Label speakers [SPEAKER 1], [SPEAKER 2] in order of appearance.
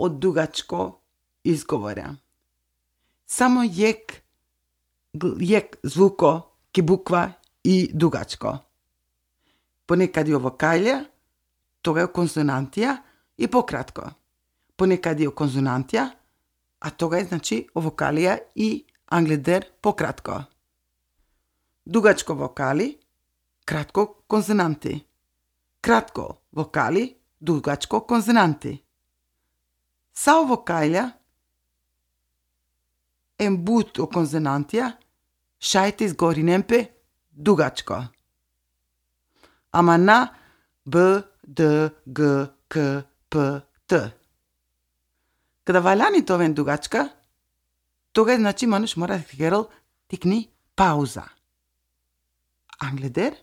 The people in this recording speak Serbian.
[SPEAKER 1] од дугачко изговора. Само јек звуко ке буква и дугачко. Понекади вокалија, тога е консонантија и пократко. Понекади е консонантија, а тога е значи вокалија и англедер пократко. Дугачко вокали, кратко консонанти. Кратко вокали, дугачко консонанти. Сао вокалја, ембуто консонантија, шајте изгори немпе дугачко. Ама на Б, Д, Г, К, П, Т. Када валяни товен дугачка, тога значи мануш мора да херал тикни пауза. Англедер